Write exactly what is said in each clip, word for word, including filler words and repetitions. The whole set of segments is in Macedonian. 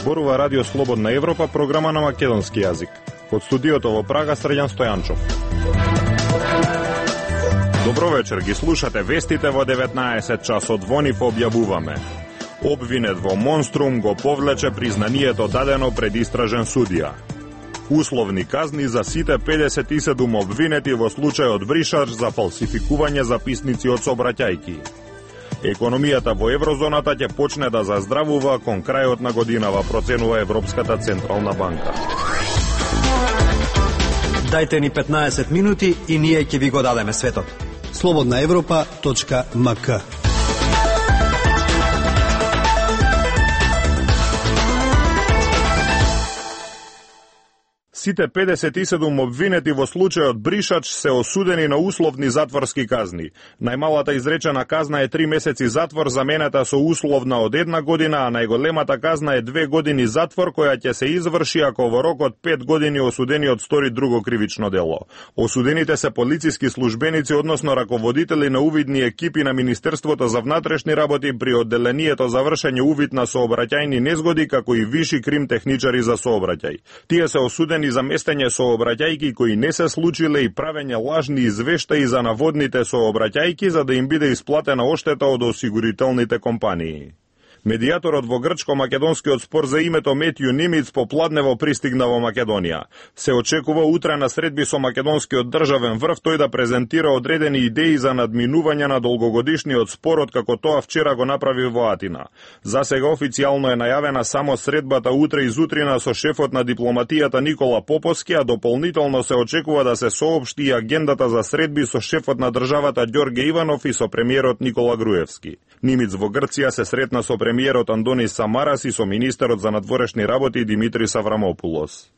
Зборува Радио Слободна Европа, програма на македонски јазик. Од студиото во Прага, Срđan Стојанчов. Добро вечер, ги слушате вестите во деветнаесет часот. Во нив објавуваме: обвинет во Монструм го повлече признанието дадено пред истражен судија. Условни казни за сите педесет и седум обвинети во случајот Бришач за фалсификување записници од сообраќајки. Економијата во еврозоната ќе почне да заздравува кон крајот на годинава, проценува Европската централна банка. Дајте ни петнаесет минути и ние ќе ви го дадеме светот. слободна европа точка ем ка. Сите педесет и седум обвинети во случајот Бришач се осудени на условни затворски казни. Најмалата изречена казна е три месеци затвор, заменета со условна од една година, а најголемата казна е две години затвор, која ќе се изврши ако во рок од пет години осудениот стори друго кривично дело. Осудените се полициски службеници, односно раководители на увидни екипи на Министерството за внатрешни работи при одделението за вршење увид на сообраќајни незгоди, како и виши крим техничари за сообраќај. Тие се осудени за местење сообраќајки кои не се случиле и правење лажни извештаи за наводните сообраќајки за да им биде исплатена оштета од осигурителните компании. Медијаторот во грчко-македонскиот спор за името Метју Нимиц попладнево пристигна во Македонија. Се очекува утре на средби со македонскиот државен врв тој да презентира одредени идеи за надминување на долгогодишниот спорот, како тоа вчера го направи во Атина. За сега официјално е најавена само средбата утре и зутрина со шефот на дипломатијата Никола Поповски, а дополнително се очекува да се соопшти и агендата за средби со шефот на државата Ѓорѓе Иванов и со премиерот Никола Груевски. Нимиц во Грција се сретна со премиерот Андонис Самарас и со министерот за надворешни работи Димитрис Аврамопулос.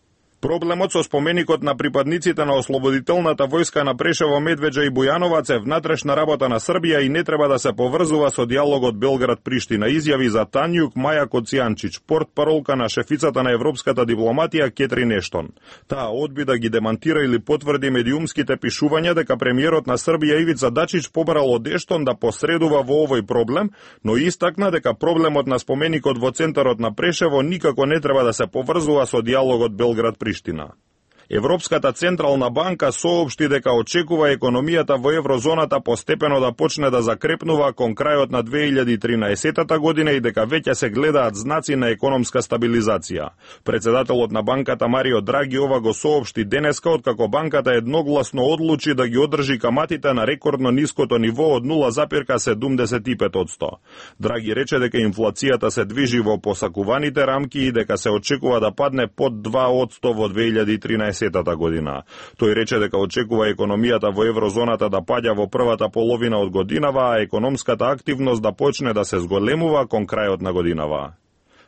Проблемот со споменикот на припадниците на ослободителната војска на Прешево, Медвеđа и Бујановац е внатрешна работа на Србија и не треба да се поврзува со диалогот Белград-Приштина, изјави за Танјук Маја Коцијанчич, портпаролка на шефицата на европската дипломатија Кетрин Ештон. Таа одби да ги демантира или потврди медиумските пишувања дека премиерот на Србија Ивица Дачич побарал од Ештон да посредува во овој проблем, но истакна дека проблемот на споменикот во центарот на Прешево никако не треба да се поврзува со диалогот Белград Приштина. Европската централна банка соопшти дека очекува економијата во еврозоната постепено да почне да закрепнува кон крајот на две илјади и тринаесетта година и дека веќе се гледаат знаци на економска стабилизација. Председателот на банката Марио Драги ова го соопшти денеска, откако банката едногласно одлучи да ги одржи каматите на рекордно ниското ниво од нула запирка седумдесет и пет одсто. Драги рече дека инфлацијата се движи во посакуваните рамки и дека се очекува да падне под два одсто во две илјади и тринаесетта година. Тој рече дека очекува економијата во еврозоната да паѓа во првата половина од годинава, а економската активност да почне да се зголемува кон крајот на годинава.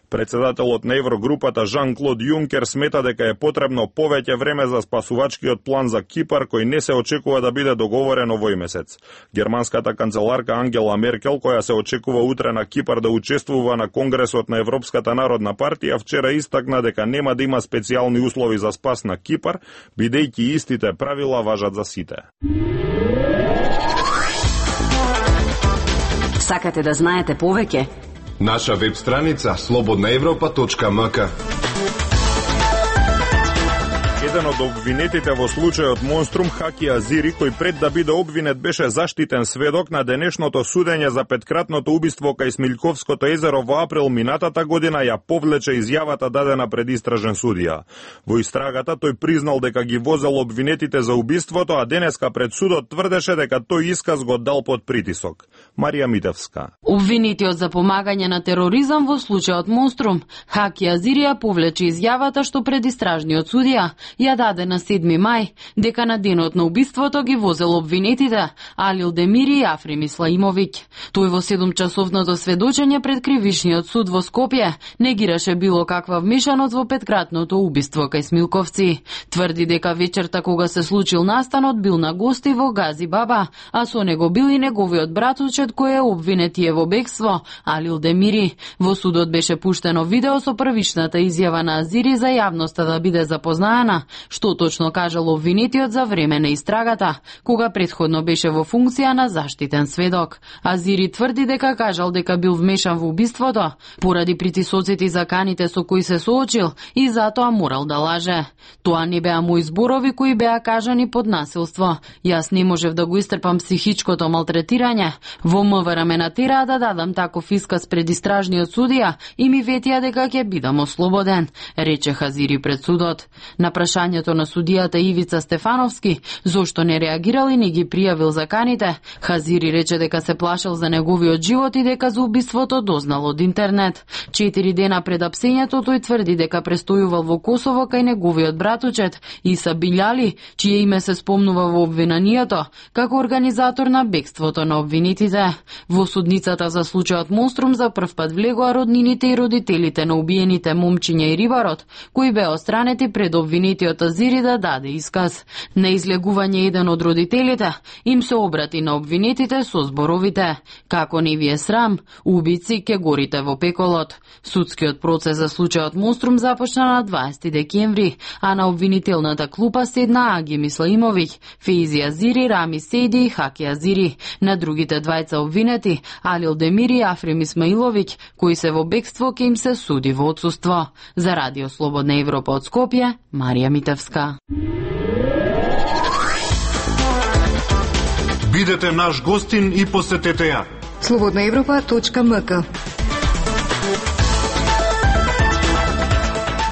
Председателот на Еврогрупата Жан-Клод Јункер смета дека е потребно повеќе време за спасувачкиот план за Кипар, кој не се очекува да биде договорен овој месец. Германската канцеларка Ангела Меркел, која се очекува утре на Кипар да учествува на Конгресот на Европската народна партија, вчера истакна дека нема да има специјални услови за спас на Кипар, бидејќи истите правила важат за сите. Сакате да знаете повеќе? Наша веб страница слободна европа точка ем ка. Еден од обвинетите во случајот Монструм, Хаки Азири, кој пред да биде обвинет беше заштитен сведок на денешното судење за петкратното убиство кај Смилјковското езеро во април минатата година, ја повлече изјавата дадена пред истражен судија. Во истрагата тој признал дека ги возел обвинетите за убиството, а денеска пред судот тврдеше дека тој исказ го дал под притисок. Марија Митевска. Обвинетиот за помагање на тероризам во случајот Монструм, Хаки Азири, ја повлече изјавата што пред истражниот судија ја даде на седми мај, дека на денот на убиството ги возел обвинетите Алил Демири и Африм Исламовиќ. Тој во седумчасовното сведочење пред кривишниот суд во Скопје негираше било каква вмешаност во петкратното убиство кај Смилковци. Тврди дека вечерта кога се случил настанот бил на гости во Гази Баба, а со него бил и неговиот братучет кој е обвинетие во бегство, Алил Демири. Во судот беше пуштено видео со првичната изјава на Азири за јавноста да биде запознаена, што точно кажал обвинетиот за време на истрагата, кога претходно беше во функција на заштитен сведок. Азири тврди дека кажал дека бил вмешан во убиството поради притисоците и заканите со кои се соочил и затоа морал да лаже. Тоа не беа мои зборови кои беа кажани под насилство. Јас не можев да го истрпам психичкото малтретирање. Во МВР ме натераа да дадам таков исказ пред истражниот судија и ми ветија дека ќе бидам ослободен, рече Хазири пред судот. На прашањето на судијата Ивица Стефановски зошто не реагирал и не ги пријавил заканите, Хазири рече дека се плашел за неговиот живот и дека за убиството дознал од интернет. Четири дена пред апсењето тој тврди дека престојувал во Косово кај неговиот братучет Иса Билјали, чие име се спомнува во обвиненијето, како организатор на бегството на обвинетите. Во судницата за случајот Монструм за прв пат влегоа роднините и родителите на убиените момчиња и рибарот, кои беа отстранети пред обвинетиот Азири да даде исказ. На излегување еден од родителите им се обрати на обвинетите со зборовите: како не ви е срам, убици ке горите во пеколот. Судскиот процес за случајот Монструм започна на дваесети декември, а на обвинителната клупа седна Аги Мислаимовиќ, Фейзи Азири, Рами Сейди и Хаки Азири. На другите двајца обвинети, Алил Демири и Африм Исмаиловиќ, кои се во бегство, ке им се суди во отсуство. За Радио Слободна Европа од Скопје, Марија Митевска. Бидете наш гостин и посетете ја слободна европа точка ем ка.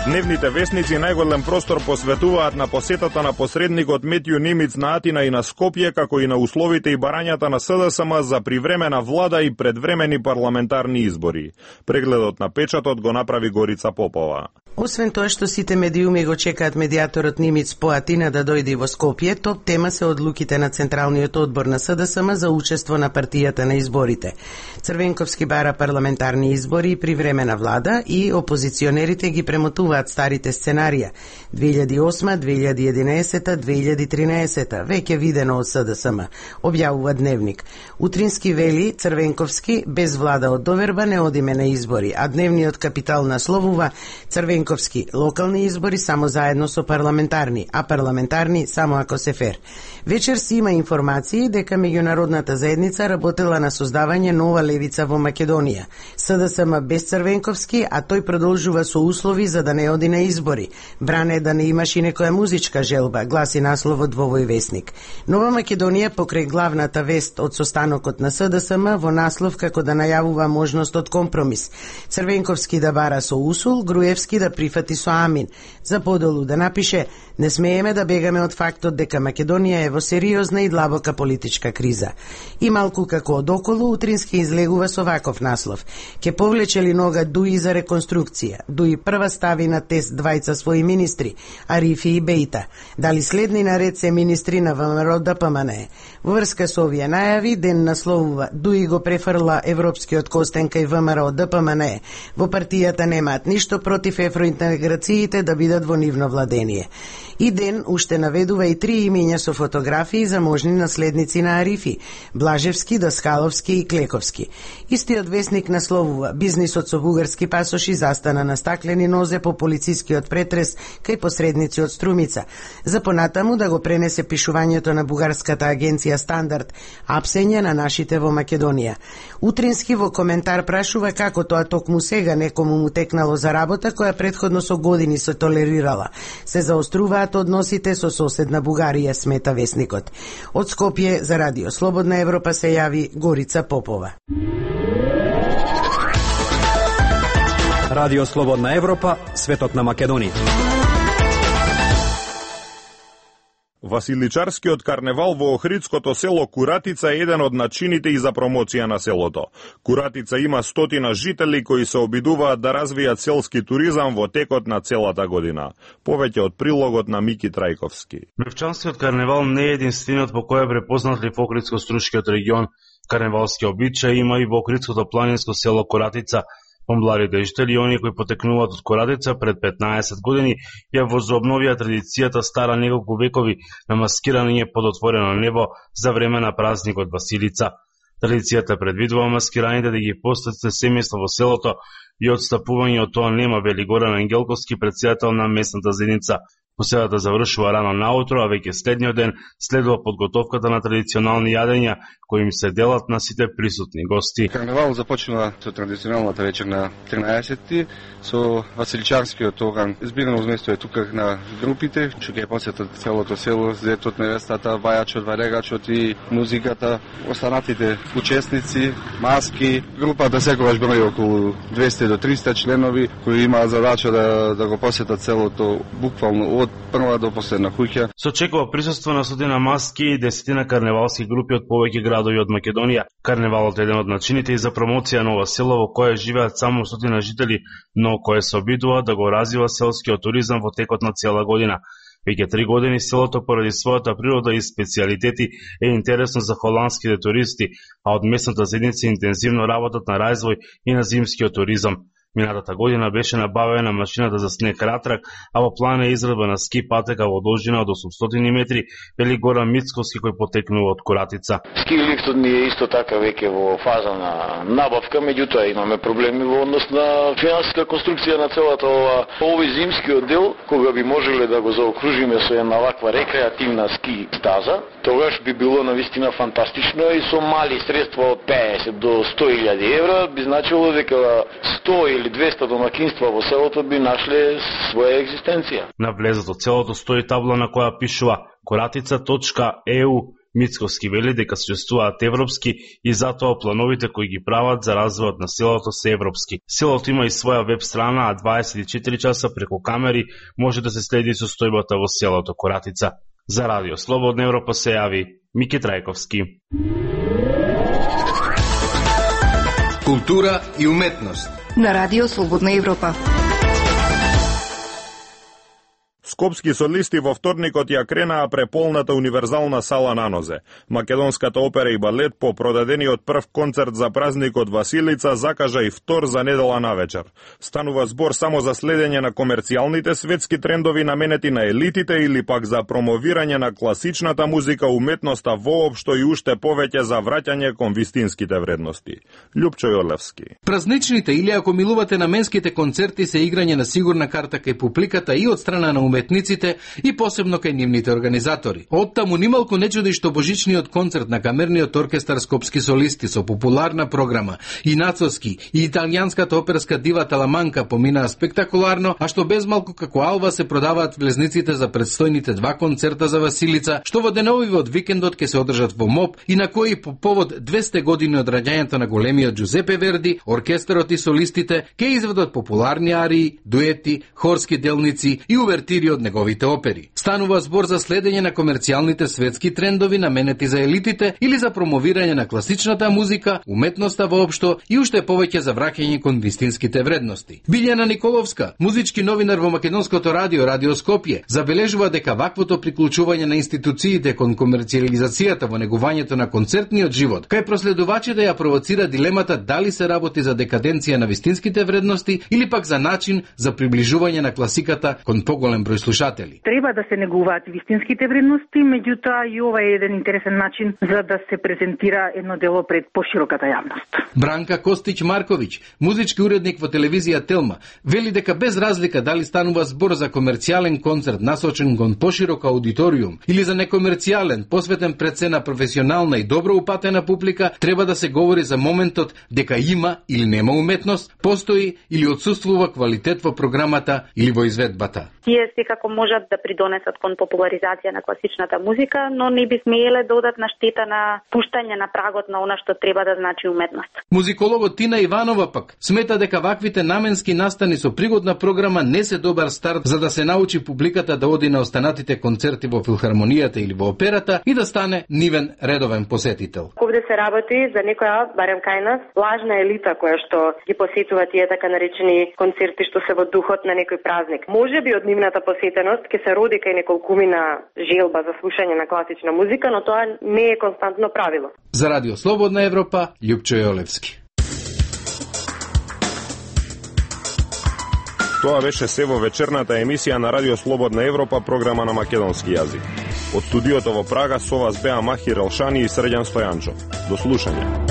Дневните вестници најголем простор посветуваат на посетата на посредникот Метју Немиц на Атина и на Скопје, како и на условите и барањата на СДСМ за привремена влада и предвремени парламентарни избори. Прегледот на печатот го направи Горица Попова. Освен тоа што сите медиуми го чекаат медијаторот Немиц по Атина да дојде во Скопје, топ тема се одлуките на Централниот одбор на СДСМ за учество на партијата на изборите. Црвенковски бара парламентарни избори и привремена влада и опозиционерите ги премотуваат старите сценарија две илјади и осма, две илјади и единаесета, две илјади и тринаесета, веќе видено од СДСМ, објавува Дневник. Утрински вели Црвенковски, без влада од доверба не одиме на избори, а Дневниот Капитал насловува Црвенковски локални избори само заедно со парламентарни, а парламентарни само ако се фер. Вечер си има информации дека меѓународната заедница работела на создавање нова левица во Македонија. СДСМ без Црвенковски, а тој продолжува со услови за да не оди на избори. Бране да не имаш и некоја музичка желба, гласи насловот во овој вестник. Нова Македонија покрај главната вест од состанокот на СДСМ во наслов како да најавува можност од компромис. Црвенковски да бара со усул, Груевски да прифати со амин. За подолу да напише: не смееме да бегаме од фактот дека Македонија е во сериозна и длабока политичка криза. И малку како одоколу, Утрински излегува со ваков наслов: ке повлече ли нога Дуи за реконструкција? Дуи прва стави на тест двајца своји министри, Арифи и Бејта. Дали следни наред се министри на ВМРО ДПМНЕ? Во врска со овие најави, Ден насловува: Дуи го префрла европскиот костен кај ВМРО ДПМНЕ. Во партијата немаат ништо против евроинтеграциите да бидат во нивно владение. И Ден уште наведува и три имења со фотографии за можни наследници на Арифи: Блажевски, Даскаловски и Клековски. Истиот вестник насловува: бизнисот со бугарски пасоши застана на стаклени нозе по полицискиот претрес кај посредници од Струмица. За понатаму да го пренесе пишувањето на бугарската агенција Стандард, апсење на нашите во Македонија. Утрински во коментар прашува како тоа токму сега некому му текнало за работа која претходно со години се толерирала. Се заоструваат односите со соседна Бугарија, смета вестникот. Од Скопје за Радио Слободна Европа се јави Горица Попова. Радио Слободна Европа, светот на Македонија. Василичарскиот карневал во Охридското село Куратица е еден од начините и за промоција на селото. Куратица има стотина жители кои се обидуваат да развијат селски туризам во текот на целата година. Повеќе од прилогот на Мики Трајковски. Мрвчанскиот карневал не е единствениот по кој е препознат ли во Охридско-Струшкиот регион. Карневалски обичаи има и во Охридското планинско село Куратица. Помладите жители и оние кои потекнуваат од Куратица пред петнаесет години ја возобновија традицијата стара неколку векови на маскирање под отворено небо за време на празникот Василица. Традицијата предвидува маскираните да ги посетите семејства во селото и одстапување од тоа нема, вели Горан Ангелковски, претседател на местната заедница. Поседата завршува рано наутро, а веќе следниот ден следува подготовката на традиционални јадења кои им се делат на сите присутни гости. Карневал започнува со традиционалната вечер на тринаесетти со Василичанскиот оган. Збирано зместо е тука на групите, што ќе посетат целото село, зетот, невестата, вајачот, варегачот и музиката, останатите учесници, маски. Групата секогаш брои околу двесте до триста членови кои имаат задача да да го посетат селото буквално од прва до последна куќа. Се очекува присуство на стотина маски и десетина карневалски групи од повеќе градови од Македонија. Карневалот е еден од начините и за промоција на ова село во кое живеат само стотина жители, но кое се обидува да го развива селскиот туризам во текот на цела година. Веќе три години селото поради својата природа и специјалитети е интересно за холандските туристи, а од местната заедница интензивно работат на развој и на зимскиот туризам. Минатата година беше набавена машината за снег Ратрак, а во план е израдба на ски патека во должина од осумстотини метри, вели Горан Мицковски кој потекнува од Коратица. Ски лифтот ни е исто така веќе во фаза на набавка, меѓутоа имаме проблеми во однос на финансиска конструкција на целата ова овој зимскиот дел, кога би можеле да го заокружиме со една ваква рекреативна ски стаза, тогаш би било навистина фантастично и со мали средства од петдесет до сто илјади евра би значило дека сто или двесте домакинства во селото би нашле своја екзистенција. На влезот од селото стои табла на која пишува коратица точка е у. Мицковски вели дека существуваат европски и затоа плановите кои ги прават за развојот на селото се европски. Селото има и своја веб страна, а дваесет и четири часа преку камери може да се следи состојбата во селото Коратица. За Радио Слободна Европа се јави Мики Трајковски. Култура и уметност на Радио Слободна Европа. Скопски солисти во вторникот ја кренаа преполната универзална сала на нозе. Македонската опера и балет по продадениот прв концерт за празникот Василица закажа и втор за недела навечер. Станува збор само за следење на комерцијалните светски трендови наменети на елитите или пак за промовирање на класичната музика, уметноста воопшто и уште повеќе за враќање кон вистинските вредности. Љупчо Јолевски. Празничните или ако милувате наменските концерти се играње на сигурна карта кај публиката и од страна на уметниците и посебно кај нивните организатори. Од таму нималку не чуди што божичниот концерт на камерниот оркестар Скопски солисти со популарна програма и нацовски и италијанската оперска дива Таламанка поминаа спектакуларно, а што безмалку како алва се продаваат влезниците за предстојните два концерта за Василица, што во деновиве од викендот ќе се одржат во МОП и на кои по повод двесте години од раѓањето на големиот Джузепе Верди, оркестарот и солистите ќе изведат популарни арии, дуети, хорски делници и увертири од неговите опери. Станува збор за следење на комерцијалните светски трендови наменети за елитите или за промовирање на класичната музика, уметноста воопшто и уште повеќе за враќање кон вистинските вредности. Билјана Николовска, музички новинар во Македонското радио Радио Скопје, забележува дека ваквото приклучување на институциите кон комерцијализацијата во негувањето на концертниот живот, кај проследувачите ја провоцира дилемата дали се работи за декаденција на вистинските вредности или пак за начин за приближување на класиката кон поголем број слушатели. Треба да се негуваат вистинските вредности, меѓутоа и ова е еден интересен начин за да се презентира едно дело пред пошироката јавност. Бранка Костич Марковиќ, музички уредник во телевизија Телма, вели дека без разлика дали станува збор за комерцијален концерт насочен кон поширок аудиториум или за некомерцијален, посветен пред се на професионална и добро упатена публика, треба да се говори за моментот дека има или нема уметност, постои или отсуствува квалитет во програмата или во изведбата. Тие секако можат да придонесат кон популаризација на класичната музика, но не би смееле да одат на штета на пуштање на прагот на она што треба да значи уметност. Музикологот Тина Иванова пак смета дека ваквите наменски настани со пригодна програма не се добар старт за да се научи публиката да оди на останатите концерти во филхармонијата или во операта и да стане нивен редовен посетител. Овде се работи за некоја, барем кај нас, лажна елита која што ги посетува тие така наречени концерти што се во духот на некој празник. Може би од нивната посетеност ќе се роди кај неколкумина желба за слушање на класична музика, но тоа не е константно правило. За Радио Слободна Европа, Љупчо Јолевски. Тоа беше се во вечерната емисија на Радио Слободна Европа, програма на македонски јазик. Од студиото во Прага со вас беа Махир Елшани и Срđan Стојанчов. До слушање.